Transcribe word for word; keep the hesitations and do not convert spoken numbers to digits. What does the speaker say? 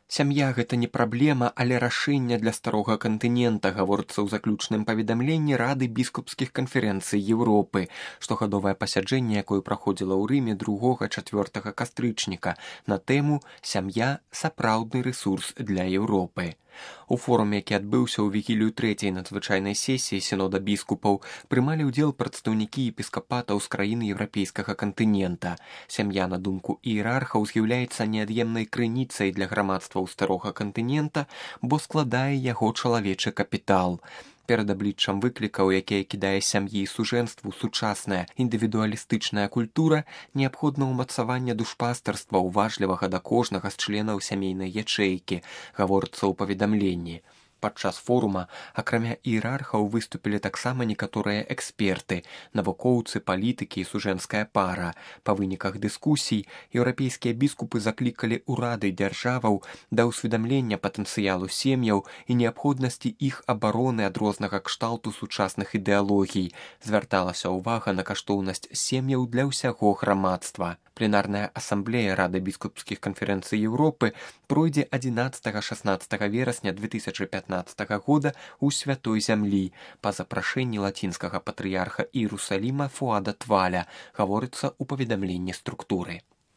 Сям'я гэта не праблема, але рашэнне для старога кантынента, гаворыцца ў заключным паведамленні Рады біскупскіх канферэнцый Еўропы, штогадовае пасяджэнне, якое праходзіла ў Рыме другога-чацвёртага кастрычніка на тэму «Сям'я – сапраўдны рэсурс для Еўропы». У форуме, які адбыўся ў вігілію трэцяй надзвычайнай сесіі сінода біскупаў, прымалі ўдзел прадстаўнікі епіскапатаў з краін еўрапейскага кантынента. Сям'я, на думку іерархаў, з'яўляецца неад'емнай крыніцай для грамадстваў старога кантынента, бо складае яго чалавечы капітал. Перад абліччам выклікаў, якія кідае сям'і і сужэнству сучасная індывідуалістычная культура, неабходна ўмацаванне душпастарства, уважлівага да кожнага з членаў сямейнай ячэйкі, гаворыцца ў паведамленні. Падчас форума, акрамя іерархаў, выступілі таксама некаторыя эксперты, навукоўцы, палітыкі і сужэнская пара. Па выніках дыскусій еўрапейскія біскупы заклікалі ўрады дзяржаваў да ўсведамлення патэнцыялу сем'яў і неабходнасці іх абароны ад рознага кшталту сучасных ідэалогій. Звярталася ўвага на каштоўнасць сем'яў для ўсяго грамадства. Пленарная асамблея Рады біскупскіх канферэнцый Еўропы пройдзе адзінаццатага-шаснаццатага верасня две тысячи пятнадцатага года ў Святой Зямлі па запрашэнні лацінскага патрыярха Іерусаліма Фуада Тваля, гаворыцца ў паведамленні структуры.